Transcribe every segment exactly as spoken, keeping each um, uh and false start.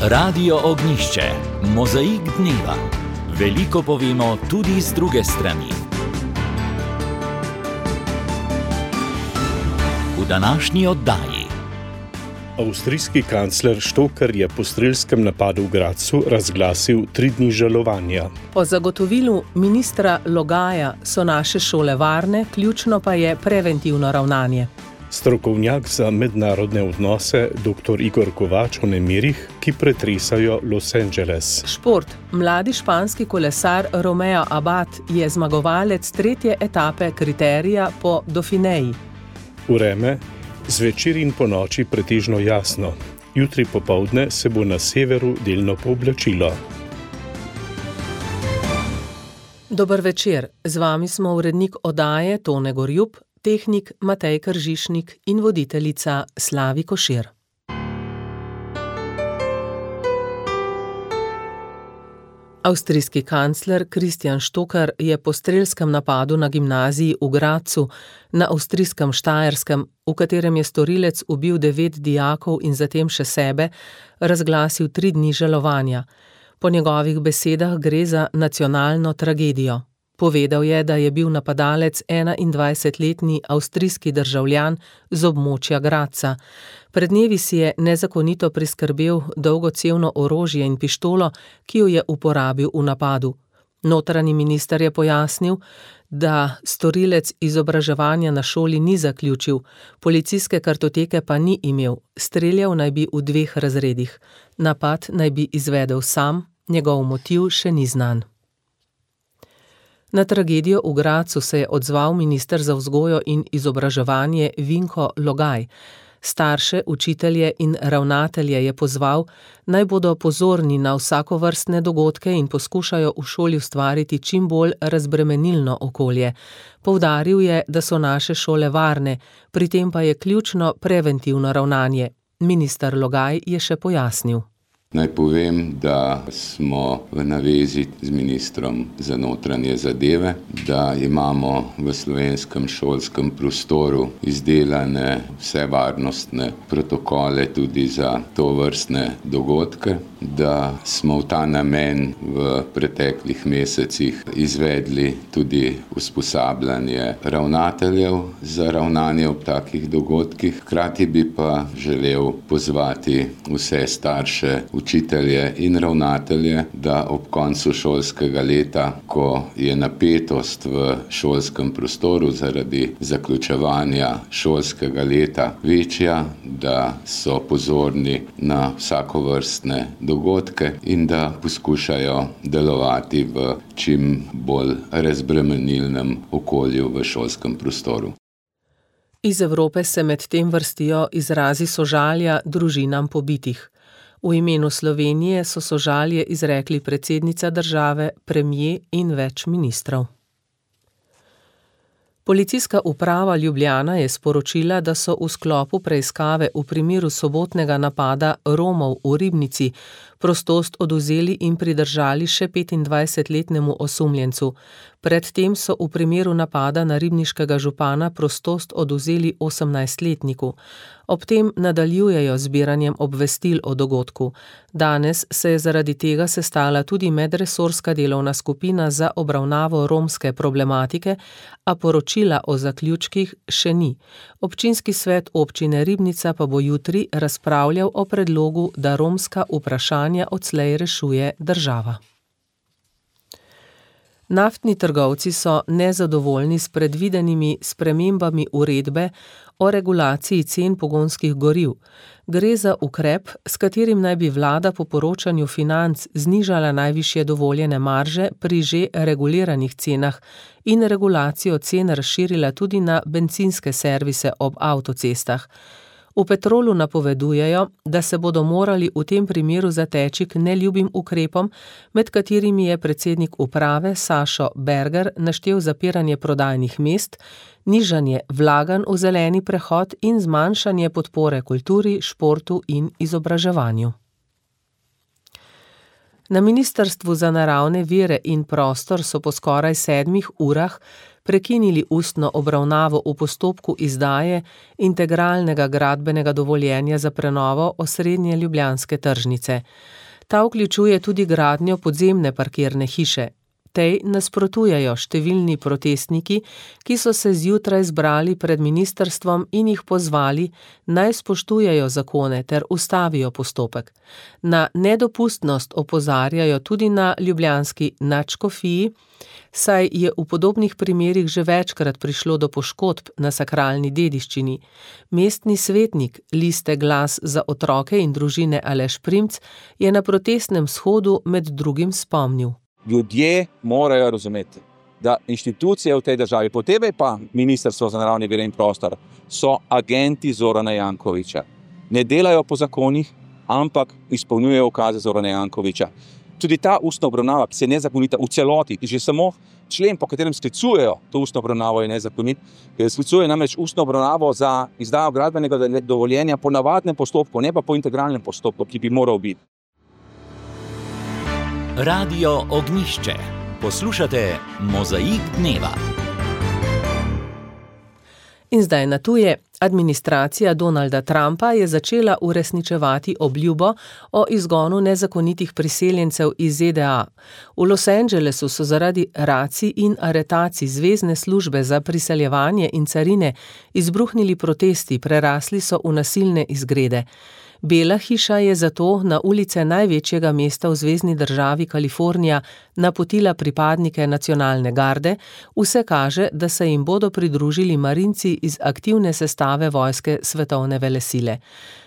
Radio Ognišče, mozaik dneva. Veliko povemo tudi z druge strani. V današnji oddaji. Avstrijski kancler Stocker je po strelskem napadu v Gradcu razglasil tri dni žalovanja. Po zagotovilu ministra Logaja so naše šole varne, ključno pa je preventivno ravnanje. Strokovnjak za mednarodne odnose dr. Igor Kovač o nemirih, ki pretresajo Los Angeles. Šport. Mladi španski kolesar Romeo Abad je zmagovalec tretje etape kriterija po Dauphineji. Vreme. Zvečer in po noči pretežno jasno. Jutri popoldne se bo na severu delno pooblačilo. Dober večer. Z vami smo urednik oddaje Tone Gorjup, tehnik Matej Kržišnik in voditeljica Slavi Košir. Avstrijski kancler Christian Stocker je po strelskem napadu na gimnaziji v Gradcu na avstrijskem Štajerskem, v katerem je storilec ubil devet dijakov in zatem še sebe, razglasil tri dni žalovanja. Po njegovih besedah gre za nacionalno tragedijo. Povedal je, da je bil napadalec enaindvajsetletni avstrijski državljan z območja Gradca. Pred dnevi si je nezakonito priskrbel dolgocevno orožje in pištolo, ki jo je uporabil v napadu. Notranji minister je pojasnil, da storilec izobraževanja na šoli ni zaključil, policijske kartoteke pa ni imel, streljal naj bi v dveh razredih. Napad naj bi izvedel sam, njegov motiv še ni znan. Na tragedijo v Gradcu se je odzval minister za vzgojo in izobraževanje Vinko Logaj. Starše, učitelje in ravnatelje je pozval, naj bodo pozorni na vsakovrstne dogodke in poskušajo v šoli ustvariti čim bolj razbremenilno okolje. Poudaril je, da so naše šole varne, pri tem pa je ključno preventivno ravnanje. Minister Logaj je še pojasnil. Naj povem, da smo v navezi z ministrom za notranje zadeve, da imamo v slovenskem šolskem prostoru izdelane vse varnostne protokole tudi za tovrstne dogodke, da smo v ta namen v preteklih mesecih izvedli tudi usposabljanje ravnateljev za ravnanje ob takih dogodkih. Hkrati bi pa želel pozvati vse starše, učitelje in ravnatelje, da ob koncu šolskega leta, ko je napetost v šolskem prostoru zaradi zaključevanja šolskega leta večja, da so pozorni na vsakovrstne dogodke in da poskušajo delovati v čim bolj razbremenilnem okolju v šolskem prostoru. Iz Evrope se med tem vrstijo izrazi sožalja družinam pobitih. V imenu Slovenije so sožalje izrekli predsednica države, premier in več ministrov. Policijska uprava Ljubljana je sporočila, da so v sklopu preiskave v primeru sobotnega napada Romov v Ribnici prostost odvzeli in pridržali še petindvajsetletnemu osumljencu. Predtem so v primeru napada na ribniškega župana prostost odvzeli osemnajstletniku. Ob tem nadaljujejo zbiranjem obvestil o dogodku. Danes se je zaradi tega sestala tudi medresorska delovna skupina za obravnavo romske problematike, a poročila o zaključkih še ni. Občinski svet občine Ribnica pa bo jutri razpravljal o predlogu, da romska vprašanja odslej rešuje država. Naftni trgovci so nezadovoljni s predvidenimi spremembami uredbe o regulaciji cen pogonskih goriv. Gre za ukrep, s katerim naj bi vlada po poročanju Financ znižala najvišje dovoljene marže pri že reguliranih cenah in regulacijo cen razširila tudi na bencinske servise ob avtocestah. V Petrolu napovedujejo, da se bodo morali v tem primeru zateči k neljubim ukrepom, med katerimi je predsednik uprave Sašo Berger naštel zapiranje prodajnih mest, nižanje vlaganj v zeleni prehod in zmanjšanje podpore kulturi, športu in izobraževanju. Na Ministrstvu za naravne vire in prostor so po skoraj sedmih urah prekinili ustno obravnavo v postopku izdaje integralnega gradbenega dovoljenja za prenovo osrednje ljubljanske tržnice. Ta vključuje tudi gradnjo podzemne parkirne hiše. Tej nasprotujejo številni protestniki, ki so se zjutraj zbrali pred ministrstvom in jih pozvali, naj spoštujejo zakone ter ustavijo postopek. Na nedopustnost opozarjajo tudi na ljubljanski nadškofiji, saj je v podobnih primerih že večkrat prišlo do poškodb na sakralni dediščini. Mestni svetnik liste Glas za otroke in družine Aleš Primc je na protestnem shodu med drugim spomnil. Ljudje morajo razumeti, da inštitucije v tej državi, posebej pa Ministrstvo za naravne vire in prostor, so agenti Zorana Jankovića. Ne delajo po zakonih, ampak izpolnjujejo ukaze Zorana Jankovića. Tudi ta ustna obravnava, ki se je nezakonita v celoti, že samo člen, po katerem sklicujejo to ustno obravnavo, je nezakonit, ker sklicuje namreč ustno obravnavo za izdajo gradbenega dovoljenja po navadnem postopku, ne pa po integralnem postopku, ki bi moral biti. Radio Ognjišče. Poslušate Mozaik dneva. In zdaj na tuje. Administracija Donalda Trumpa je začela uresničevati obljubo o izgonu nezakonitih priseljencev iz Z D A. V Los Angelesu so zaradi racij in aretacij Zvezne službe za priseljevanje in carine izbruhnili protesti, prerasli so v nasilne izgrede. Bela hiša je zato na ulice največjega mesta v zvezni državi Kalifornija napotila pripadnike nacionalne garde, vse kaže, da se jim bodo pridružili marinci iz aktivne sestave vojske svetovne velesile.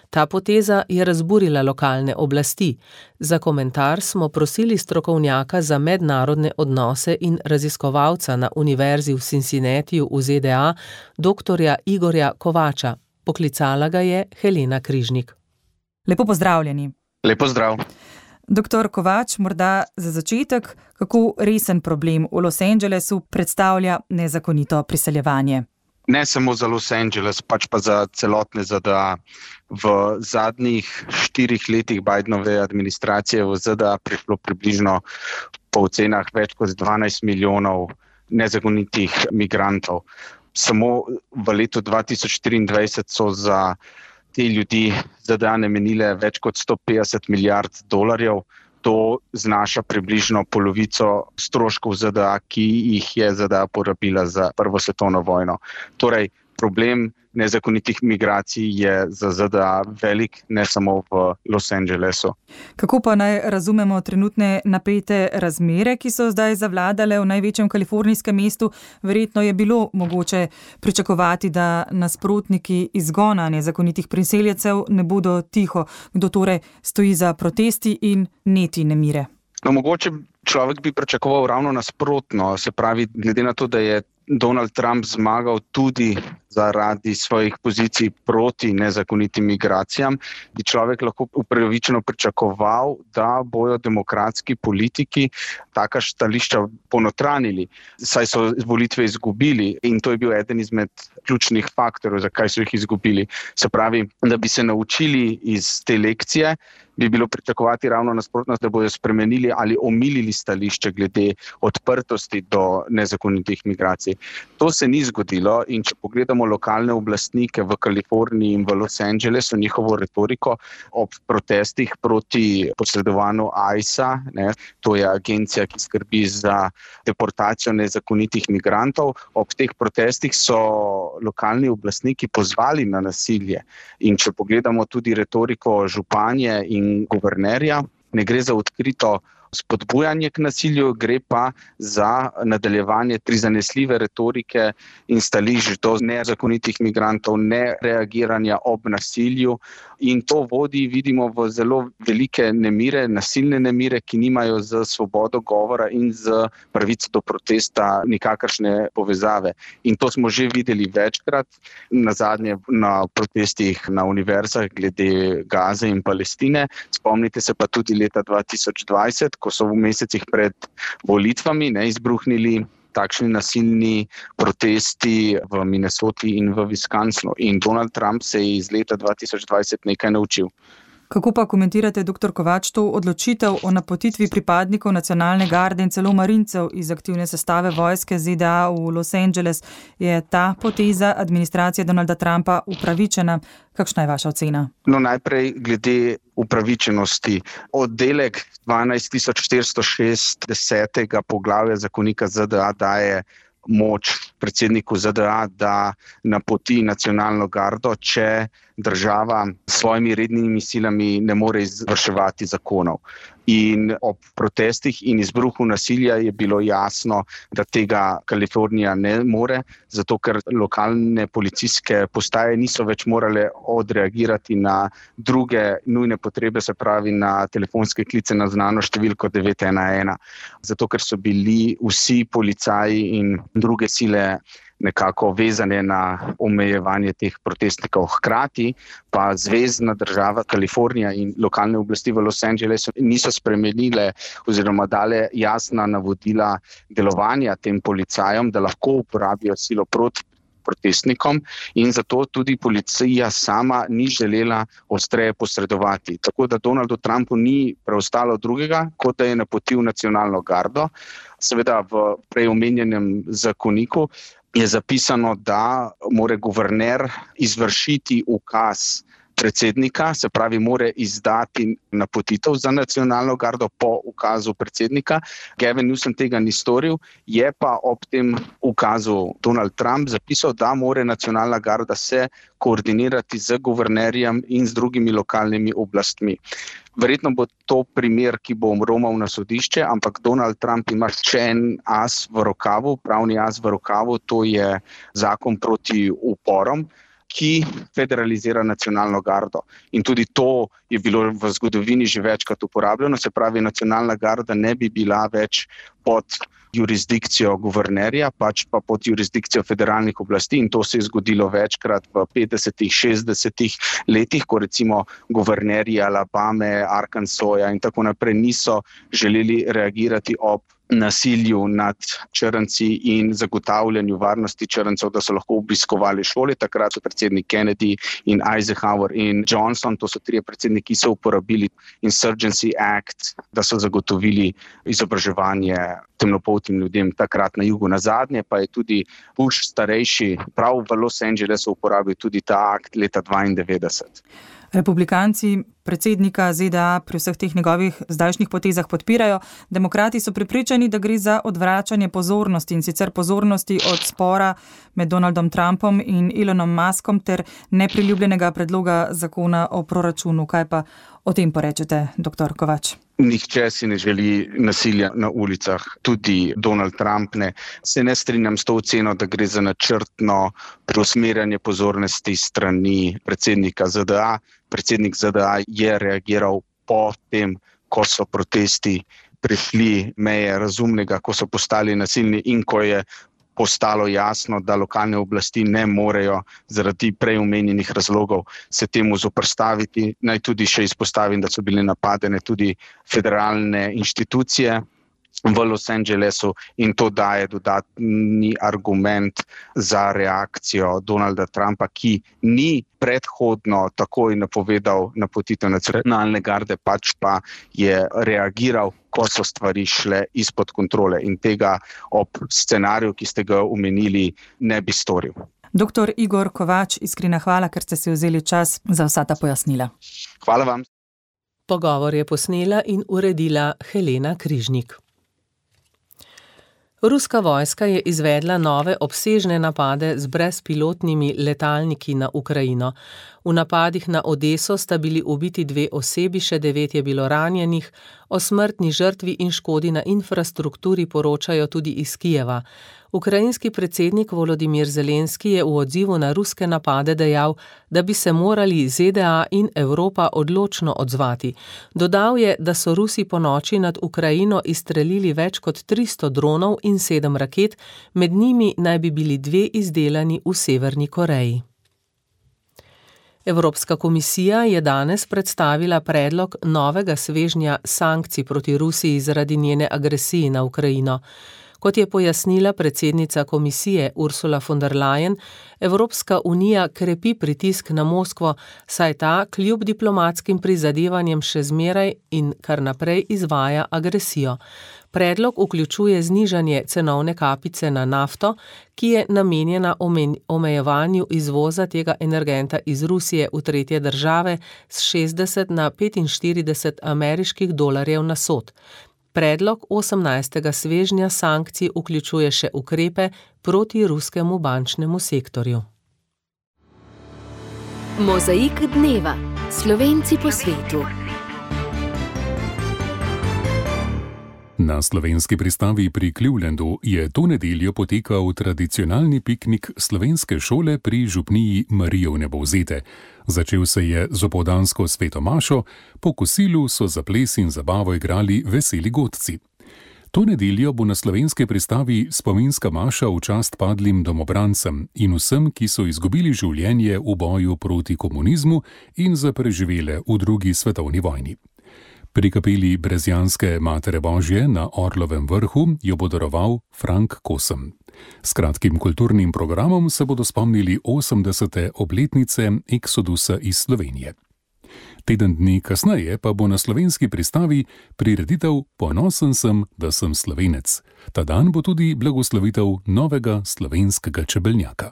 Ta poteza je razburila lokalne oblasti. Za komentar smo prosili strokovnjaka za mednarodne odnose in raziskovalca na Univerzi v Cincinnatiju v Z D A, doktorja Igorja Kovača. Poklicala ga je Helena Križnik. Lepo pozdravljeni. Lepo zdrav. Doktor Kovač, morda za začetek, kako resen problem v Los Angelesu predstavlja nezakonito priseljevanje? Ne samo za Los Angeles, pač pa za celotne Z D A. V zadnjih štirih letih Bidenove administracije v Z D A prišlo približno po ocenah več kot dvanajst milijonov nezakonitih migrantov. Samo v letu dva tisoč štiriindvajset so za te ljudi Z D A namenile več kot sto petdeset milijard dolarjev. To znaša približno polovico stroškov Z D A, ki jih je Z D A porabila za Prvo svetovno vojno. Torej, problem nezakonitih migracij je za Z D A velik, ne samo v Los Angelesu. Kako pa naj razumemo trenutne napete razmere, ki so zdaj zavladale v največjem kalifornijskem mestu? Verjetno je bilo mogoče pričakovati, da nasprotniki izgona nezakonitih priseljencev ne bodo tiho. Kdo torej stoji za protesti in neti nemire? No, mogoče človek bi pričakoval ravno nasprotno, se pravi, glede na to, da je Donald Trump zmagal tudi zaradi svojih pozicij proti nezakonitim migracijam, bi človek lahko upravičeno pričakoval, da bojo demokratski politiki taka stališča ponotranili, saj so volitve izgubili in to je bil eden izmed ključnih faktorjev, zakaj so jih izgubili. Se pravi, da bi se naučili iz te lekcije, bi bilo pričakovati ravno nasprotno, da bojo spremenili ali omilili stališče glede odprtosti do nezakonitih migracij. To se ni zgodilo in če pogledamo lokalne oblastnike v Kaliforniji in v Los Angelesu, njihovo retoriko ob protestih proti posredovanju I C E A, ne, to je agencija, ki skrbi za deportacijo nezakonitih migrantov, ob teh protestih so lokalni oblastniki pozvali na nasilje. In če pogledamo tudi retoriko županje in guvernerja, ne gre za odkrito spodbujanje k nasilju, gre pa za nadaljevanje prizanesljive retorike in stališč do nezakonitih migrantov, ne reagiranja ob nasilju. In to vodi, vidimo, v zelo velike nemire, nasilne nemire, ki nimajo z svobodo govora in z pravico do protesta nikakršne povezave. In to smo že videli večkrat, nazadnje na protestih na univerzah glede Gaze in Palestine. Spomnite se pa tudi leta dva tisoč dvajset, ko so v mesecih pred volitvami ne, izbruhnili takšni nasilni protesti v Minnesoti in v Wisconsinu. In Donald Trump se je iz leta dva tisoč dvajset nekaj naučil. Kako pa komentirate, doktor Kovač, to odločitev o napotitvi pripadnikov nacionalne garde in celo marincev iz aktivne sestave vojske Z D A v Los Angeles? Je ta poteza administracije Donalda Trumpa upravičena? Kakšna je vaša ocena? No, najprej glede upravičenosti. Oddelek dvanajst tisoč štiristo šestdeset poglavja zakonika Z D A daje moč predsedniku Z D A, da napoti nacionalno gardo, če država s svojimi rednimi silami ne more izvrševati zakonov. In ob protestih in izbruhu nasilja je bilo jasno, da tega Kalifornija ne more, zato ker lokalne policijske postaje niso več morale odreagirati na druge nujne potrebe, se pravi na telefonske klice na znano številko devet ena ena. Zato ker so bili vsi policaji in druge sile nekako vezane na omejevanje teh protestnikov. Hkrati pa zvezna država Kalifornija in lokalne oblasti v Los Angelesu niso spremenile oziroma dale jasna navodila delovanja tem policajem, da lahko uporabijo silo proti protestnikom, in zato tudi policija sama ni želela ostreje posredovati. Tako da Donaldu Trumpu ni preostalo drugega, kot da je napotil nacionalno gardo. Seveda v prej omenjenem zakoniku je zapisano, da mora guverner izvršiti ukaz predsednika, se pravi, mora izdati napotitev za nacionalno gardo po ukazu predsednika. Gavin Newsom tega ni storil, je pa ob tem ukazu Donald Trump zapisal, da mora nacionalna garda se koordinirati z guvernerjem in z drugimi lokalnimi oblastmi. Verjetno bo to primer, ki bo romal na sodišče, ampak Donald Trump ima še en as v rokavu, pravni as v rokavu, to je zakon proti uporom, ki federalizira nacionalno gardo. In tudi to je bilo v zgodovini že večkrat uporabljeno, se pravi, nacionalna garda ne bi bila več pod jurisdikcijo guvernerja, pač pa pod jurisdikcijo federalnih oblasti, in to se je zgodilo večkrat v petdesetih, šestdesetih letih, ko recimo guvernerji Alabame, Arkansasa in tako naprej niso želeli reagirati ob nasilju nad črnci in zagotavljanju varnosti črncev, da so lahko obiskovali šole. Takrat so predsednik Kennedy in Eisenhower in Johnson, to so trije predsedniki, ki so uporabili Insurgency Act, da so zagotovili izobraževanje temnopoltim ljudem takrat na jugu. Nazadnje pa je tudi Bush starejši prav v Los Angelesu uporabil tudi ta akt leta dvaindevetdeset. Republikanci predsednika Z D A pri vseh teh njegovih zdajšnjih potezah podpirajo. Demokrati so prepričani, da gre za odvračanje pozornosti, in sicer pozornosti od spora med Donaldom Trumpom in Elonom Muskom ter nepriljubljenega predloga zakona o proračunu. Kaj pa o tem porečete, doktor Kovač? Nihče si ne želi nasilja na ulicah, tudi Donald Trump ne. Se ne strinjam s to oceno, da gre za načrtno preusmerjanje pozornosti strani predsednika Z D A. Predsednik Z D A je reagiral po tem, ko so protesti prišli meje razumnega, ko so postali nasilni in ko je postalo jasno, da lokalne oblasti ne morejo zaradi prej omenjenih razlogov se temu zoperstaviti. Naj tudi še izpostavim, da so bile napadene tudi federalne inštitucije v Los Angelesu, in to daje dodatni argument za reakcijo Donalda Trumpa, ki ni predhodno takoj napovedal napotitev nacionalne garde, pač pa je reagiral, ko so stvari šle izpod kontrole, in tega ob scenariju, ki ste ga omenili, ne bi storil. Doktor Igor Kovač, iskrena hvala, ker ste si vzeli čas za vsa ta pojasnila. Hvala vam. Pogovor je posnela in uredila Helena Križnik. Ruska vojska je izvedla nove obsežne napade z brezpilotnimi letalniki na Ukrajino. V napadih na Odeso sta bili ubiti dve osebi, še devet je bilo ranjenih. O smrtni žrtvi in škodi na infrastrukturi poročajo tudi iz Kijeva. Ukrajinski predsednik Volodimir Zelenski je v odzivu na ruske napade dejal, da bi se morali Z D A in Evropa odločno odzvati. Dodal je, da so Rusi ponoči nad Ukrajino izstrelili več kot tristo dronov in sedem raket, med njimi naj bi bili dve izdelani v Severni Koreji. Evropska komisija je danes predstavila predlog novega svežnja sankcij proti Rusiji zaradi njene agresije na Ukrajino. Kot je pojasnila predsednica komisije Ursula von der Leyen, Evropska unija krepi pritisk na Moskvo, saj ta kljub diplomatskim prizadevanjem še zmeraj in kar naprej izvaja agresijo. Predlog vključuje znižanje cenovne kapice na nafto, ki je namenjena omejevanju izvoza tega energenta iz Rusije v tretje države s šestdeset na petinštirideset ameriških dolarjev na sod. Predlog osemnajstega svežnja sankcij vključuje še ukrepe proti ruskemu bančnemu sektorju. Mozaik dneva. Slovenci po svetu. Na slovenski pristavi pri Clevelandu je to nedeljo potekal tradicionalni piknik slovenske šole pri župniji Marije Vnebovzete. Začel se je z opoldansko sveto mašo, po kosilu so za ples in zabavo igrali veseli godci. To nedeljo bo na slovenski pristavi spominska maša v čast padlim domobrancem in vsem, ki so izgubili življenje v boju proti komunizmu in za preživele v drugi svetovni vojni. Pri kapeli Brezjanske Matere Božje na Orlovem vrhu jo bo daroval Frank Kosem. S kratkim kulturnim programom se bodo spomnili osemdesete obletnice eksodusa iz Slovenije. Teden dni kasneje pa bo na slovenski pristavi prireditev Ponosen sem, da sem Slovenec. Ta dan bo tudi blagoslovitev novega slovenskega čebeljaka.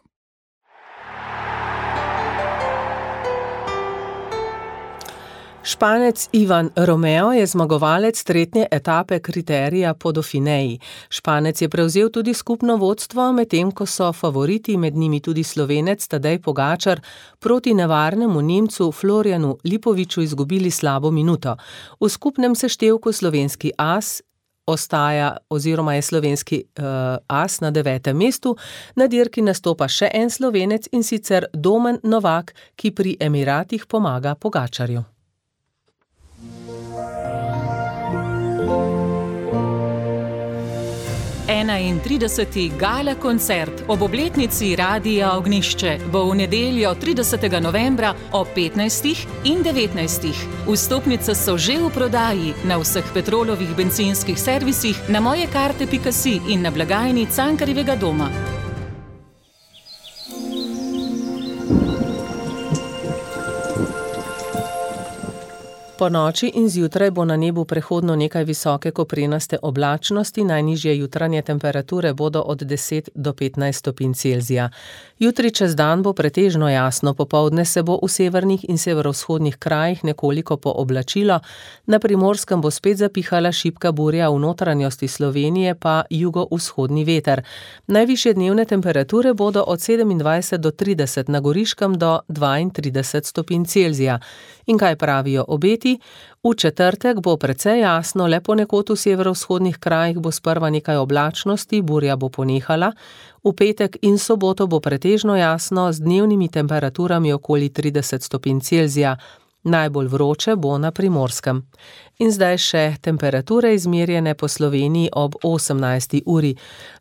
Španec Ivan Romeo je zmagovalec tretje etape kriterija po Dauphineji. Španec je prevzel tudi skupno vodstvo, medtem ko so favoriti, med njimi tudi Slovenec Tadej Pogačar, proti nevarnemu Nemcu Florjanu Lipoviču izgubili slabo minuto. V skupnem seštevku slovenski as ostaja oziroma je slovenski uh, as na devetem mestu, na dirki nastopa še en Slovenec in sicer Domen Novak, ki pri Emiratih pomaga Pogačarju. enaintrideseti gala koncert ob obletnici Radia Ognjišče bo v nedeljo tridesetega novembra ob petnajstih in devetnajstih. Vstopnice so že v prodaji na vseh Petrolovih bencinskih servisih, na mojekarte pika si in na blagajni Cankarjevega doma. Po noči in zjutraj bo na nebu prehodno nekaj visoke koprenaste oblačnosti, najnižje jutranje temperature bodo od deset do petnajst stopinj Celzija. Jutri čez dan bo pretežno jasno, popoldne se bo v severnih in severovzhodnih krajih nekoliko pooblačilo, na Primorskem bo spet zapihala šibka burja, v notranjosti Slovenije pa jugovzhodni veter. Najvišje dnevne temperature bodo od sedemindvajset do trideset, na Goriškem do dvaintrideset stopinj Celzija. In kaj pravijo obeti? V četrtek bo precej jasno, le ponekod v severovzhodnih krajih bo sprva nekaj oblačnosti, burja bo ponehala. V petek in soboto bo pretežno jasno z dnevnimi temperaturami okoli trideset stopinj Celzija. Najbolj vroče bo na Primorskem. In zdaj še temperature izmerjene po Sloveniji ob osemnajsti uri.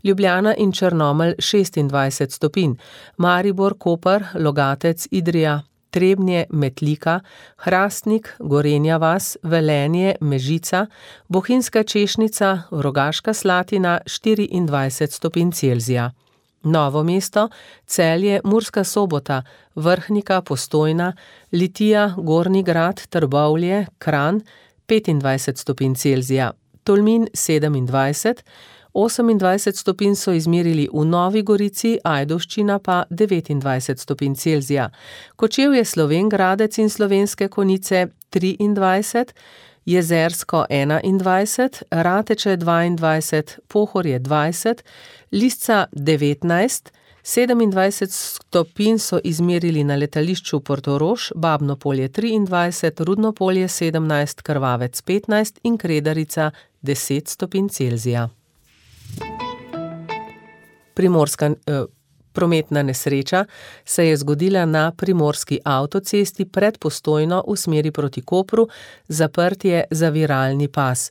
Ljubljana in Črnomelj šestindvajset stopinj, Maribor, Koper, Logatec, Idrija, Trebnje, Metlika, Hrastnik, Gorenja vas, Velenje, Mežica, Bohinjska Češnica, Rogaška Slatina štiriindvajset stopinj Celzija. Novo mesto, Celje, Murska Sobota, Vrhnika, Postojna, Litija, Gornji Grad, Trbovlje, Kranj petindvajset stopinj Celzija, Tolmin sedemindvajset, osemindvajset stopinj so izmerili v Novi Gorici, Ajdovščina pa devetindvajset stopinj Celzija. Kočevje, Slovenj Gradec in Slovenske Konjice triindvajset, Jezersko enaindvajset, Rateče dvaindvajset, Pohorje dvajset, Lisca devetnajst, sedemindvajset stopinj so izmerili na letališču Portorož, Babno Polje triindvajset, Rudno Polje sedemnajst, Krvavec petnajst in Kredarica deset stopinj Celzija. Primorska eh, prometna nesreča se je zgodila na primorski avtocesti pred Postojno v smeri proti Kopru, zaprt je zaviralni pas.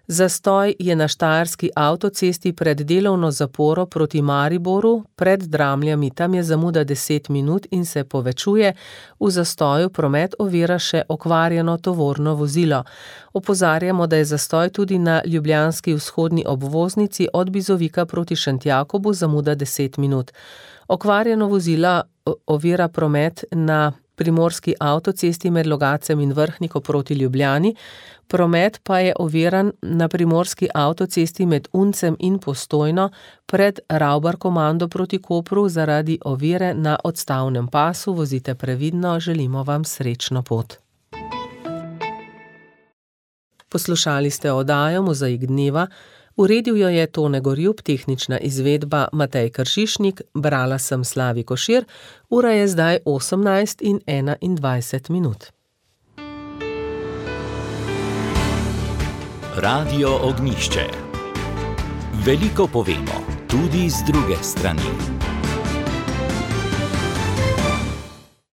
Zastoj je na štajerski avtocesti pred delovno zaporo proti Mariboru, pred Dramljami, tam je zamuda deset minut in se povečuje, v zastoju promet ovira še okvarjeno tovorno vozilo. Opozarjamo, da je zastoj tudi na ljubljanski vzhodni obvoznici od Bizovika proti Šentjakobu, zamuda deset minut. Okvarjeno vozilo ovira promet na primorski avtocesti med Logacem in Vrhniko proti Ljubljani, promet pa je oviran na primorski avtocesti med Uncem in Postojno pred Ravbar komando proti Kopru zaradi ovire na odstavnem pasu. Vozite previdno, želimo vam srečno pot. Poslušali ste oddajo Mozaik dneva, uredil jo je Tone Gorjub, tehnična izvedba Matej Kršišnik, brala sem Slavi Košir, ura je zdaj osemnajst in enaindvajset minut. Radio Ognjišče. Veliko povemo, tudi z druge strani.